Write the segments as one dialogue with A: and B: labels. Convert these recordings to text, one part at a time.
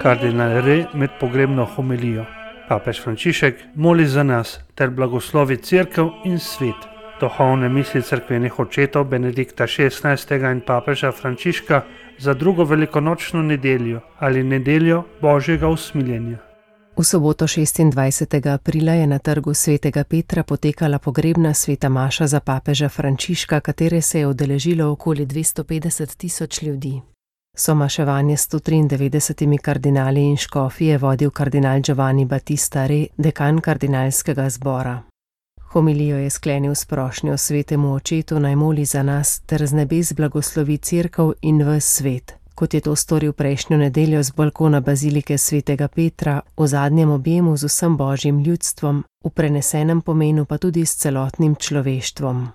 A: Kardinal Re med pogrebno homilijo. Papež Frančišek moli za nas ter blagoslovi Cerkev in svet. Duhovne misli cerkvenih očetov Benedikta XVI. In papeža Frančiška za drugo velikonočno nedeljo ali nedeljo Božjega usmiljenja.
B: V soboto 26. aprila je na trgu svetega Petra potekala pogrebna sveta maša za papeža Frančiška, katere se je udeležilo okoli 250.000 ljudi. Somaševanje s 193 kardinali in škofi je vodil kardinal Giovanni Battista Re, dekan kardinalskega zbora. Homilijo je sklenil s prošnjo svetemu očetu naj moli za nas ter z nebes blagoslovi Cerkev in ves svet, kot je to storil prejšnjo nedeljo z balkona bazilike svetega Petra, v zadnjem objemu z vsem božjim ljudstvom, v prenesenem pomenu pa tudi s celotnim človeštvom.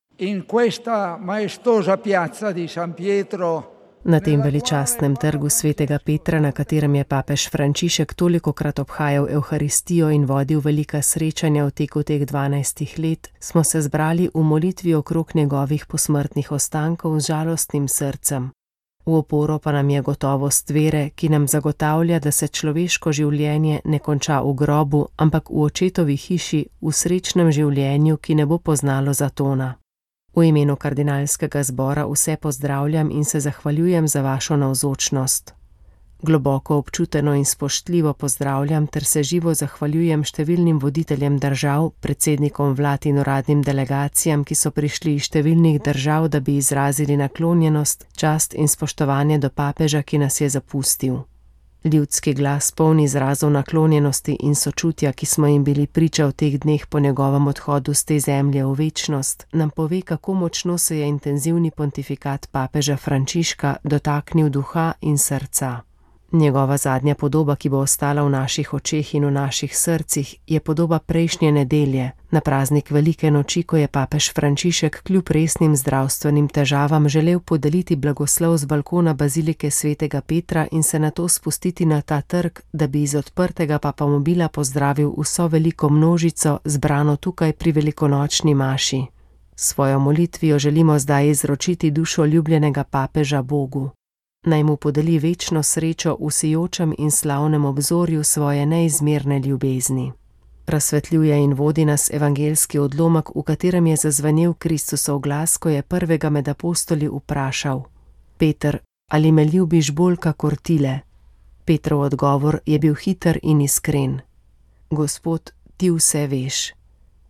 B: Na tem veličastnem trgu svetega Petra, na katerem je papež Frančišek tolikokrat obhajal Evharistijo in vodil velika srečanja v teku teh 12 let, smo se zbrali v molitvi okrog njegovih posmrtnih ostankov z žalostnim srcem. V oporo pa nam je gotovost vere, ki nam zagotavlja, da se človeško življenje ne konča v grobu, ampak v očetovi hiši, v srečnem življenju, ki ne bo poznalo zatona. V imenu kardinalskega zbora vse pozdravljam in se zahvaljujem za vašo navzočnost. Globoko občuteno in spoštljivo pozdravljam ter se živo zahvaljujem številnim voditeljem držav, predsednikom vlad in uradnim delegacijam, ki so prišli iz številnih držav, da bi izrazili naklonjenost, čast in spoštovanje do papeža, ki nas je zapustil. Ljudski glas poln izrazov naklonjenosti in sočutja, ki smo jim bili priča v teh dneh po njegovem odhodu z te zemlje v večnost, nam pove, kako močno se je intenzivni pontifikat papeža Frančiška dotaknil duha in srca. Njegova zadnja podoba, ki bo ostala v naših očeh in v naših srcih, je podoba prejšnje nedelje, na praznik velike noči, ko je papež Frančišek kljub resnim zdravstvenim težavam želel podeliti blagoslov z balkona bazilike svetega Petra in se nato spustiti na ta trg, da bi iz odprtega papamobila pozdravil vso veliko množico, zbrano tukaj pri velikonočni maši. Svojo molitvijo želimo zdaj izročiti dušo ljubljenega papeža Bogu. Naj mu podeli večno srečo v sijočem in slavnem obzorju svoje neizmerne ljubezni. Razsvetljuje in vodi nas evangeljski odlomek, v katerem je zazvenel Kristusov glas, ko je prvega med apostoli vprašal: Peter, ali me ljubiš bolj kakor tile? Petrov odgovor je bil hiter in iskren: Gospod, ti vse veš.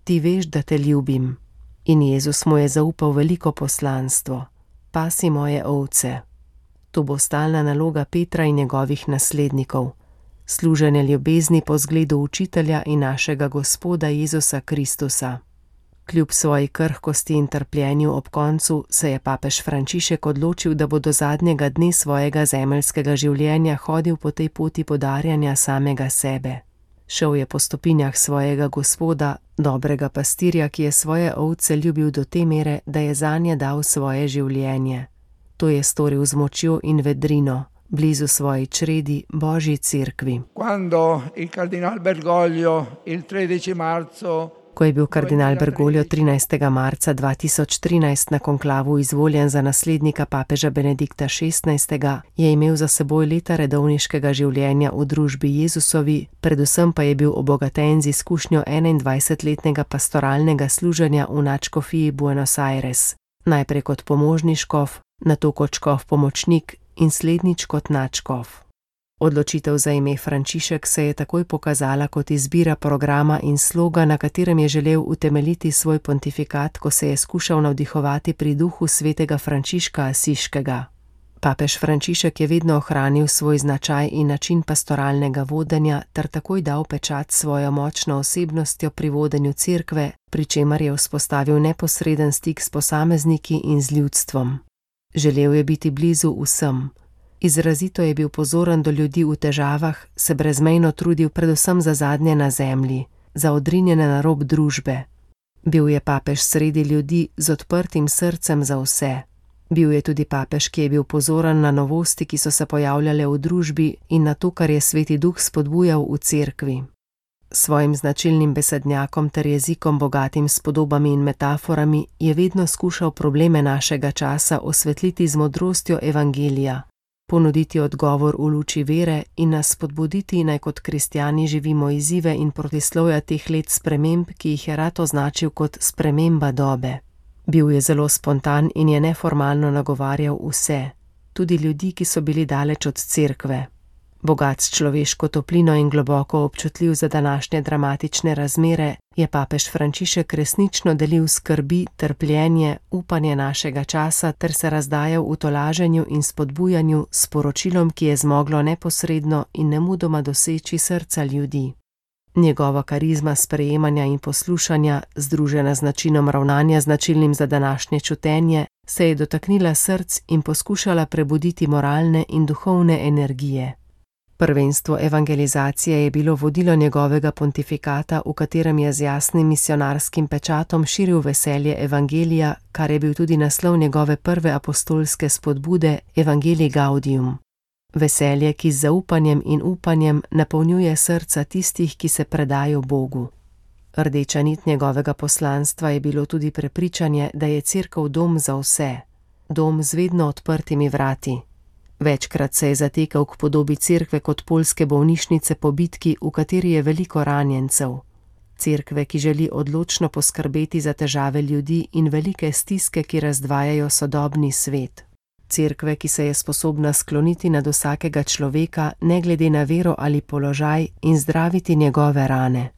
B: Ti veš, da te ljubim. In Jezus mu je zaupal veliko poslanstvo: Pasi moje ovce. To bo stalna naloga Petra in njegovih naslednikov. Služenje ljubezni po zgledu učitelja in našega Gospoda Jezusa Kristusa. Kljub svoji krhkosti in trpljenju ob koncu se je papež Frančišek odločil, da bo do zadnjega dne svojega zemeljskega življenja hodil po tej poti podarjanja samega sebe. Šel je po stopinjah svojega Gospoda, dobrega pastirja, ki je svoje ovce ljubil do te mere, da je zanje dal svoje življenje. To je storil z močjo in vedrino, blizu svoji čredi, Božji cerkvi. Ko je bil kardinal Bergoglio 13. marca 2013 na konklavu izvoljen za naslednika papeža Benedikta XVI., je imel za seboj leta redovniškega življenja v družbi Jezusovi, predvsem pa je bil obogaten z izkušnjo 21-letnega pastoralnega služenja v nadškofiji Buenos Aires, najprej kot pomožni škof, nato kot škof pomočnik in slednjič kot nadškof. Odločitev za ime Frančišek se je takoj pokazala kot izbira programa in sloga, na katerem je želel utemeljiti svoj pontifikat, ko se je skušal navdihovati pri duhu svetega Frančiška Asiškega. Papež Frančišek je vedno ohranil svoj značaj in način pastoralnega vodenja ter takoj dal pečat svojo močno osebnostjo pri vodenju cerkve, pri čemer je vzpostavil neposreden stik s posamezniki in z ljudstvom. Želel je biti blizu vsem. Izrazito je bil pozoren do ljudi v težavah, se brezmejno trudil predvsem za zadnje na zemlji, za odrinjene na rob družbe. Bil je papež sredi ljudi z odprtim srcem za vse. Bil je tudi papež, ki je bil pozoren na novosti, ki so se pojavljale v družbi in na to, kar je Sveti Duh spodbujal v cerkvi. Svojim značilnim besednjakom ter jezikom bogatim s podobami in metaforami je vedno skušal probleme našega časa osvetliti z modrostjo evangelija. ponuditi odgovor v luči vere in nas spodbuditi, naj kot kristjani živimo izzive in protislovja teh let sprememb, ki jih je rad označil kot sprememba dobe. Bil je zelo spontan in je neformalno nagovarjal vse, tudi ljudi, ki so bili daleč od cerkve. Bogat s človeško toplino in globoko občutljiv za današnje dramatične razmere, je papež Frančišek resnično delil skrbi, trpljenje, upanje našega časa ter se razdajal v tolaženju in spodbujanju s poročilom, ki je zmoglo neposredno in nemudoma doseči srca ljudi. Njegova karizma sprejemanja in poslušanja, združena z načinom ravnanja značilnim za današnje čutenje, se je dotaknila src in poskušala prebuditi moralne in duhovne energije. Prvenstvo evangelizacije je bilo vodilo njegovega pontifikata, v katerem je z jasnim misionarskim pečatom širil veselje evangelija, kar je bil tudi naslov njegove prve apostolske spodbude Evangelii Gaudium. Veselje, ki z zaupanjem in upanjem napolnjuje srca tistih, ki se predajo Bogu. Rdeča nit njegovega poslanstva je bilo tudi prepričanje, da je cerkev dom za vse, dom z vedno odprtimi vrati. Večkrat se je zatekal k podobi cerkve kot poljske bolnišnice po bitki, v kateri je veliko ranjencev. Cerkve, ki želi odločno poskrbeti za težave ljudi in velike stiske, ki razdvajajo sodobni svet. Cerkve, ki se je sposobna skloniti nad vsakega človeka, ne glede na vero ali položaj, in zdraviti njegove rane.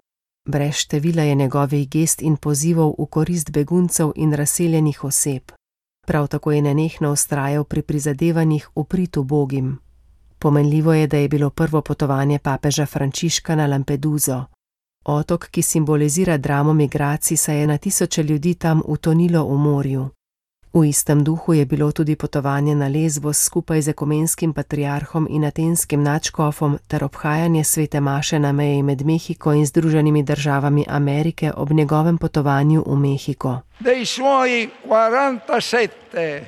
B: Brez števila je njegovih gest in pozivov v korist beguncev in razseljenih oseb. Prav tako je nenehno vztrajal pri prizadevanjih v prid ubogim. Pomenljivo je, da je bilo prvo potovanje papeža Frančiška na Lampeduso. Otok, ki simbolizira dramo migracij, saj je na tisoče ljudi tam utonilo v morju. V istem duhu je bilo tudi potovanje na Lesbos skupaj z ekumenskim patriarhom in atenskim nadškofom ter obhajanje svete maše na meji med Mehiko in Združenimi državami Amerike ob njegovem potovanju v Mehiko.
C: Dei suoi 47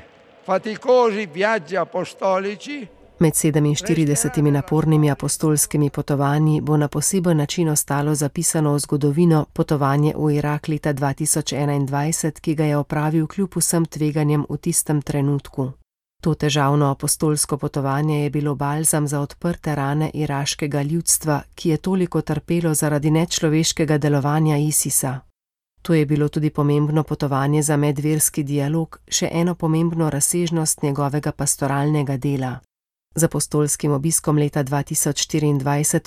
C: faticosi viaggi apostolici.
B: Med 47 napornimi apostolskimi potovanji bo na poseben način ostalo zapisano v zgodovino potovanje v Irak leta 2021, ki ga je opravil kljub vsem tveganjem v tistem trenutku. To težavno apostolsko potovanje je bilo balzam za odprte rane iraškega ljudstva, ki je toliko trpelo zaradi nečloveškega delovanja ISIS-a. To je bilo tudi pomembno potovanje za medverski dialog, še eno pomembno razsežnost njegovega pastoralnega dela. Z apostolskim obiskom leta 2024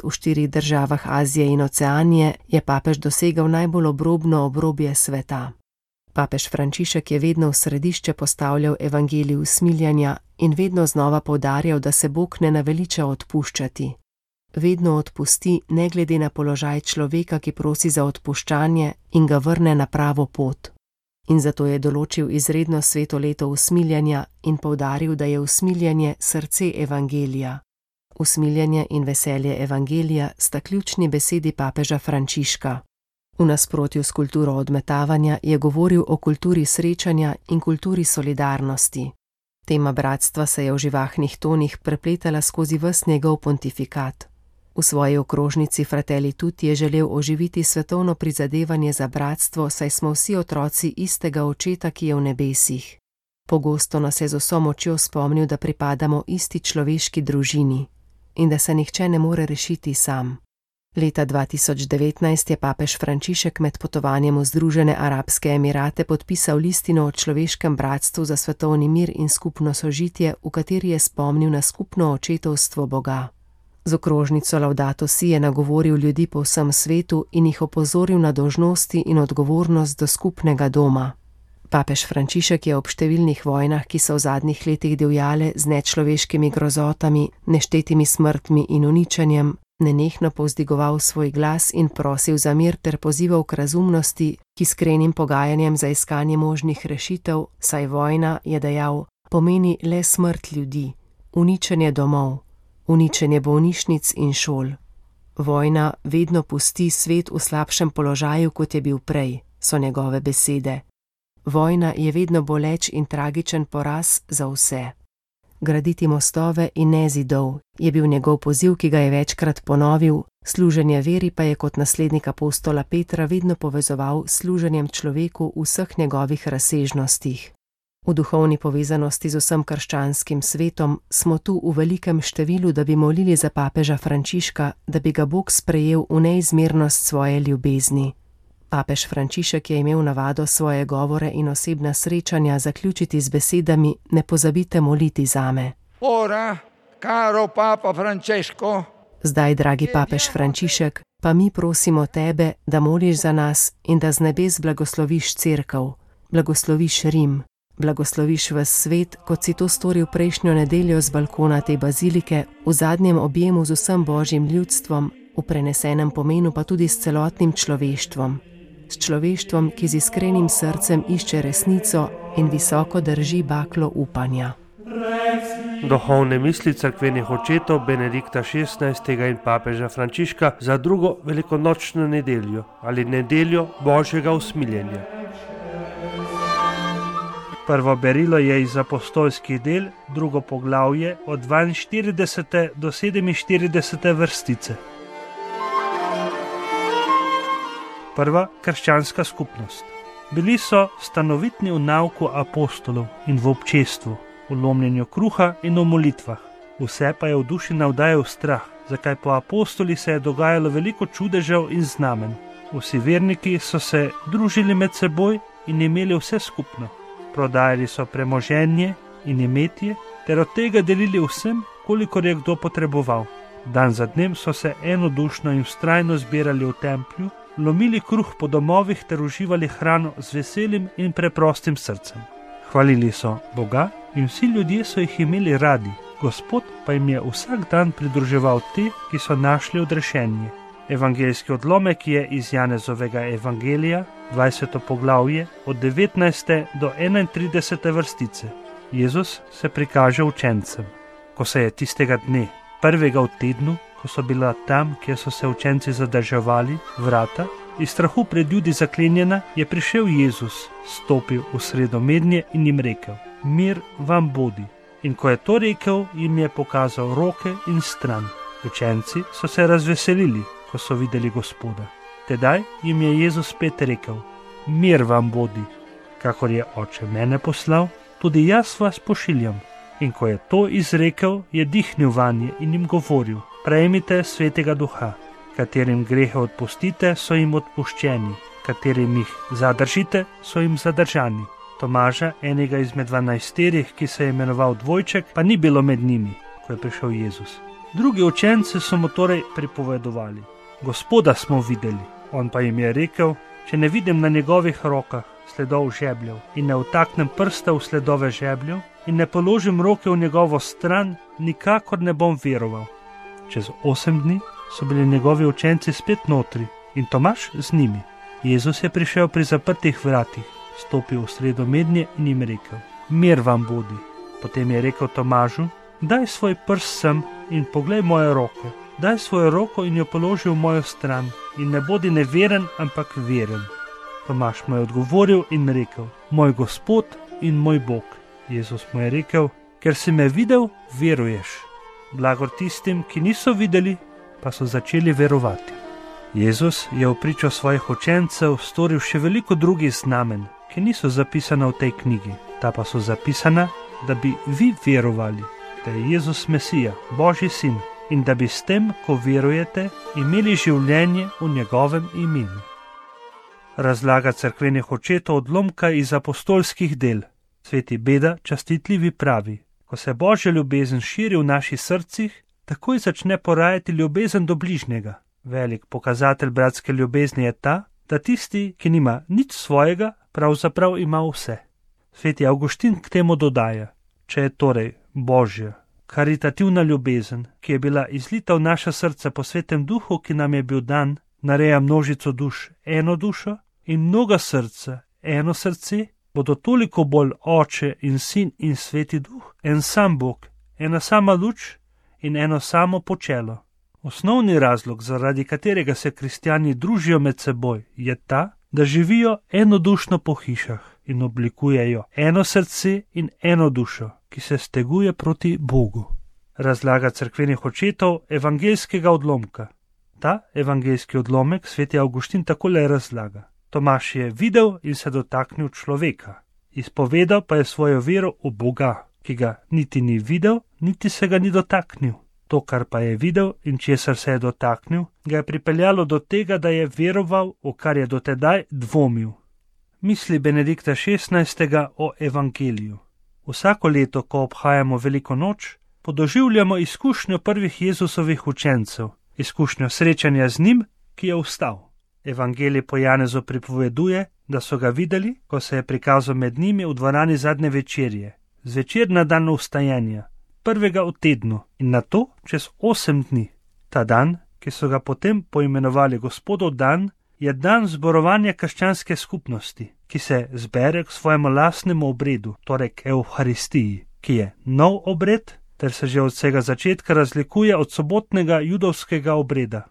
B: v 4 državah Azije in Oceanije je papež dosegel najbolj obrobno obrobje sveta. Papež Frančišek je vedno v središče postavljal evangelij usmiljanja in vedno znova poudarjal, da se Bog ne naveliča odpuščati. Vedno odpusti, ne glede na položaj človeka, ki prosi za odpuščanje in ga vrne na pravo pot. In zato je določil izredno sveto leto usmiljanja in poudaril, da je usmiljanje srce evangelija. Usmiljanje in veselje evangelija sta ključni besedi papeža Frančiška. V nasprotju s kulturo odmetavanja je govoril o kulturi srečanja in kulturi solidarnosti. Tema bratstva se je v živahnih tonih prepletala skozi ves njegov pontifikat. V svoji okrožnici Fratelli Tutti je želel oživiti svetovno prizadevanje za bratstvo, saj smo vsi otroci istega očeta, ki je v nebesih. Pogosto nas je z vso močjo spomnil, da pripadamo isti človeški družini in da se nihče ne more rešiti sam. Leta 2019 je papež Frančišek med potovanjem v Združene arabske emirate podpisal listino o človeškem bratstvu za svetovni mir in skupno sožitje, v kateri je spomnil na skupno očetovstvo Boga. Z okrožnico Laudato Si je nagovoril ljudi po vsem svetu in jih opozoril na dolžnosti in odgovornost do skupnega doma. Papež Frančišek je ob številnih vojnah, ki so v zadnjih letih divjale z nečloveškimi grozotami, neštetimi smrtmi in uničenjem, nenehno povzdigoval svoj glas in prosil za mir ter pozival k razumnosti, k iskrenim pogajanjem za iskanje možnih rešitev, saj vojna, je dejal, pomeni le smrt ljudi, uničenje domov, uničenje bolnišnic in šol. Vojna vedno pusti svet v slabšem položaju, kot je bil prej, so njegove besede. Vojna je vedno boleč in tragičen poraz za vse. Graditi mostove in ne zidov je bil njegov poziv, ki ga je večkrat ponovil, služenje veri pa je kot naslednik apostola Petra vedno povezoval s služenjem človeku v vseh njegovih razsežnostih. V duhovni povezanosti z vsem krščanskim svetom smo tu v velikem številu, da bi molili za papeža Frančiška, da bi ga Bog sprejel v neizmernost svoje ljubezni. Papež Frančišek je imel navado svoje govore in osebna srečanja zaključiti z besedami: ne pozabite moliti zame.
C: Ora, caro Papa Francesco,
B: Zdaj, dragi papež Frančišek, pa mi prosimo tebe, da moliš za nas in da z nebes blagosloviš cerkev, blagosloviš Rim, blagosloviš ves svet, kot si to storil prejšnjo nedeljo z balkona te bazilike, v zadnjem objemu z vsem božjim ljudstvom, v prenesenem pomenu pa tudi s celotnim človeštvom. S človeštvom, ki z iskrenim srcem išče resnico in visoko drži baklo upanja.
A: Duhovne misli cerkvenih očetov Benedikta XVI. In papeža Frančiška za drugo velikonočno nedeljo ali nedeljo Božjega usmiljenja. Prvo berilo je iz apostolskih del, drugo poglavje od 42. do 47. vrstice. Prva krščanska skupnost. Bili so stanovitni v nauku apostolov in v občestvu, v lomljenju kruha in v molitvah. Vse pa je v duši navdajal strah, zakaj po apostoli se je dogajalo veliko čudežev in znamen. Vsi verniki so se družili med seboj in imeli vse skupno. Prodajali so premoženje in imetje ter od tega delili vsem, kolikor je kdo potreboval. Dan za dnem so se enodušno in vztrajno zbirali v templju, lomili kruh po domovih ter uživali hrano z veselim in preprostim srcem. Hvalili so Boga in vsi ljudje so jih imeli radi, Gospod pa jim je vsak dan pridruževal te, ki so našli odrešenje. Evangeljski odlomek je iz Janezovega evangelija, 20. poglavje, od 19. do 31. vrstice. Jezus se prikaže učencem. Ko se je tistega dne, prvega v tednu, ko so bila tam, kjer so se učenci zadrževali, vrata, iz strahu pred ljudi zaklenjena, je prišel Jezus, stopil v sredo mednje in jim rekel: mir vam bodi. In ko je to rekel, jim je pokazal roke in stran. Učenci so se razveselili, ko so videli Gospoda. Tedaj jim je Jezus spet rekel: mir vam bodi. Kakor je Oče mene poslal, tudi jaz vas pošiljam. In ko je to izrekel, je dihnil vanje in jim govoril: prejmite Svetega Duha. Katerim grehe odpustite, so jim odpuščeni, katerim jih zadržite, so jim zadržani. Tomaža, enega izmed 12, ki se je imenoval Dvojček, pa ni bilo med njimi, ko je prišel Jezus. Drugi učenci so mu torej pripovedovali: Gospoda smo videli. On pa jim je rekel: če ne vidim na njegovih rokah sledov žebljev in ne vtaknem prsta v sledove žebljev in ne položim roke v njegovo stran, nikakor ne bom veroval. Čez 8 dni so bili njegovi učenci spet notri in Tomaž z njimi. Jezus je prišel pri zaprtih vratih, stopil v sredo mednje in jim rekel: mir vam bodi. Potem je rekel Tomažu: daj svoj prst sem in poglej moje roke. Daj svojo roko in jo položi v mojo stran in ne bodi neveren, ampak veren. Tomaž mu je odgovoril in rekel: moj Gospod in moj Bog. Jezus mu je rekel: ker si me videl, veruješ. Blagor tistim, ki niso videli, pa so začeli verovati. Jezus je v pričo svojih učencev storil še veliko drugih znamen, ki niso zapisana v tej knjigi. Ta pa so zapisana, da bi vi verovali, da je Jezus Mesija, Božji sin, in da bi s tem, ko verujete, imeli življenje v njegovem imenu. Razlaga cerkvenih očetov odlomka iz apostolskih del. Sveti Beda častitljivi pravi: ko se Božja ljubezen širi v naših srcih, takoj začne porajati ljubezen do bližnjega. Velik pokazatelj bratske ljubezni je ta, da tisti, ki nima nič svojega, pravzaprav ima vse. Sveti Avguštin k temu dodaja: če je torej Božja karitativna ljubezen, ki je bila izlita v naša srca po Svetem Duhu, ki nam je bil dan, nareja množico duš eno dušo in mnoga srca eno srce, bodo toliko bolj Oče in Sin in Sveti Duh, en sam Bog, ena sama luč in eno samo počelo. Osnovni razlog, zaradi katerega se kristjani družijo med seboj, je ta, da živijo enodušno po hišah in oblikujejo eno srce in eno dušo, ki se steguje proti Bogu. Razlaga cerkvenih očetov evangeljskega odlomka. Ta evangeljski odlomek sveti Avguštin takole razlaga: Tomaž je videl in se dotaknil človeka. Izpovedal pa je svojo vero v Boga, ki ga niti ni videl, niti se ga ni dotaknil. To, kar pa je videl in česar se je dotaknil, ga je pripeljalo do tega, da je veroval, v kar je dotedaj dvomil. Misli Benedikta XVI. O evangeliju. Vsako leto, ko obhajamo Veliko noč, podoživljamo izkušnjo prvih Jezusovih učencev, izkušnjo srečanja z njim, ki je vstal. Evangelij po Janezu pripoveduje, da so ga videli, ko se je prikazal med njimi v dvorani zadnje večerje, zvečer na dan vstajanja, prvega v tednu in nato čez 8 dni. Ta dan, ki so ga potem poimenovali Gospodov dan, je dan zborovanja krščanske skupnosti, ki se zbere k svojemu lastnemu obredu, torej k Evharistiji, ki je nov obred, ter se že od vsega začetka razlikuje od sobotnega judovskega obreda.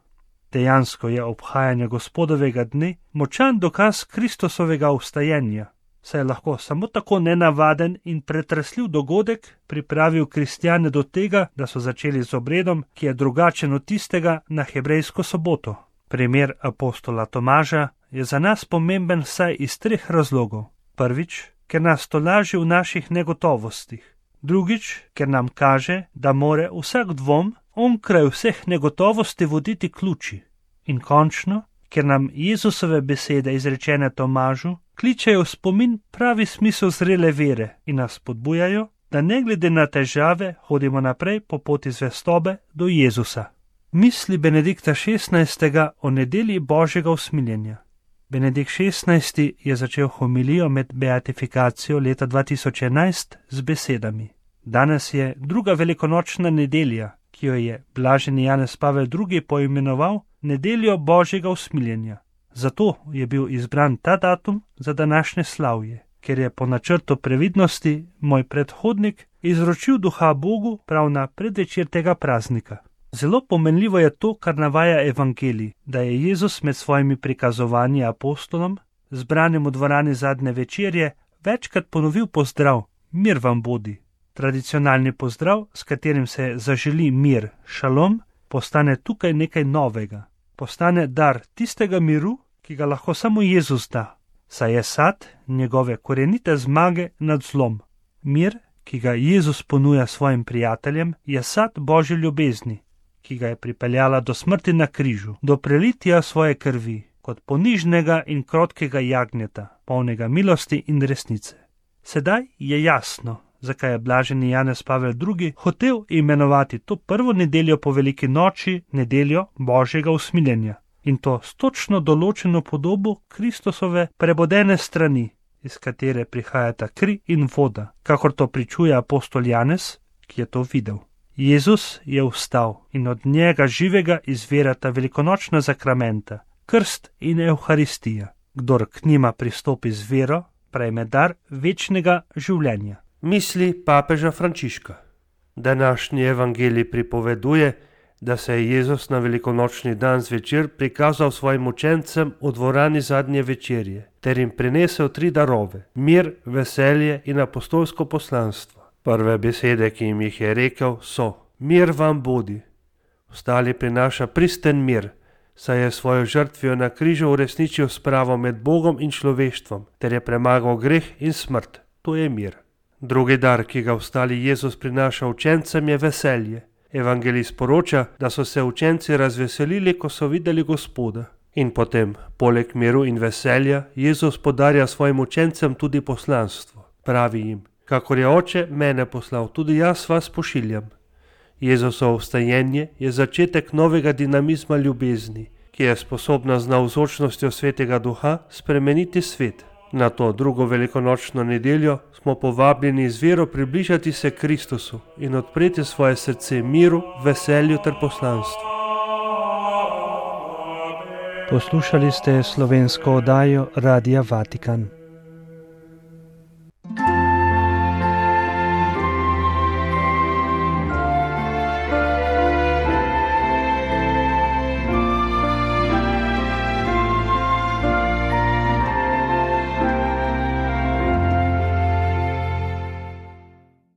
A: Dejansko je obhajanje Gospodovega dne močan dokaz Kristusovega vstajenja, saj je lahko samo tako nenavaden in pretresljiv dogodek pripravil kristjane do tega, da so začeli z obredom, ki je drugačen od tistega na hebrejsko soboto. Primer apostola Tomaža je za nas pomemben vsaj iz 3 razlogov. Prvič, ker nas tolaži v naših negotovostih. Drugič, ker nam kaže, da more vsak dvom onkraj vseh negotovosti voditi k luči. In končno, ker nam Jezusove besede izrečene Tomažu kličejo v spomin pravi smisel zrele vere in nas spodbujajo, da ne glede na težave hodimo naprej po poti zvestobe do Jezusa. Misli Benedikta XVI. O nedelji Božjega usmiljenja. Benedikt XVI. Je začel homilijo med beatifikacijo leta 2011 z besedami: Danes je druga velikonočna nedelja, ki jo je blaženi Janez Pavel II. Poimenoval nedeljo Božjega usmiljenja. Zato je bil izbran ta datum za današnje slavje, ker je po načrtu previdnosti moj predhodnik izročil duha Bogu prav na predvečer tega praznika. Zelo pomenljivo je to, kar navaja evangelij, da je Jezus med svojimi prikazovanji apostolom, zbranim v dvorani zadnje večerje, večkrat ponovil pozdrav: mir vam bodi. Tradicionalni pozdrav, s katerim se zaželi mir, šalom, postane tukaj nekaj novega. Postane dar tistega miru, ki ga lahko samo Jezus da, saj je sad njegove korenite zmage nad zlom. Mir, ki ga Jezus ponuja svojim prijateljem, je sad Božje ljubezni, ki ga je pripeljala do smrti na križu, do prelitja svoje krvi, kot ponižnega in krotkega jagnjeta, polnega milosti in resnice. Sedaj je jasno, zakaj je blaženi Janez Pavel II. Hotel imenovati to prvo nedeljo po veliki noči nedeljo Božjega usmiljenja, in to s točno določeno podobo Kristusove prebodene strani, iz katere prihajata kri in voda, kakor to pričuje apostol Janez, ki je to videl. Jezus je vstal in od njega živega izvirata velikonočna zakramenta, krst in Evharistija. Kdor k njima pristopi z vero, prejme dar večnega življenja.
D: Misli papeža Frančiška. Današnji evangelij pripoveduje, da se je Jezus na velikonočni dan zvečer prikazal svojim učencem v dvorani zadnje večerje, ter jim prinesel 3 darove: mir, veselje in apostolsko poslanstvo. Prve besede, ki jim jih je rekel, so: mir vam bodi. Ostali prinaša pristen mir, saj je svojo žrtvijo na križu uresničil spravo med Bogom in človeštvom, ter je premagal greh in smrt. To je mir. Drugi dar, ki ga ostali Jezus prinaša učencem, je veselje. Evangelij sporoča, da so se učenci razveselili, ko so videli Gospoda. In potem, poleg miru in veselja, Jezus podarja svojim učencem tudi poslanstvo. Pravi jim: kakor je Oče mene poslal, tudi jaz vas pošiljam. Jezusovo vstajenje je začetek novega dinamizma ljubezni, ki je sposobna z navzočnostjo Svetega Duha spremeniti svet. Na to drugo velikonočno nedeljo smo povabljeni z vero približati se Kristusu in odpreti svoje srce miru, veselju ter poslanstvu.
A: Poslušali ste slovensko oddajo Radia Vatikan.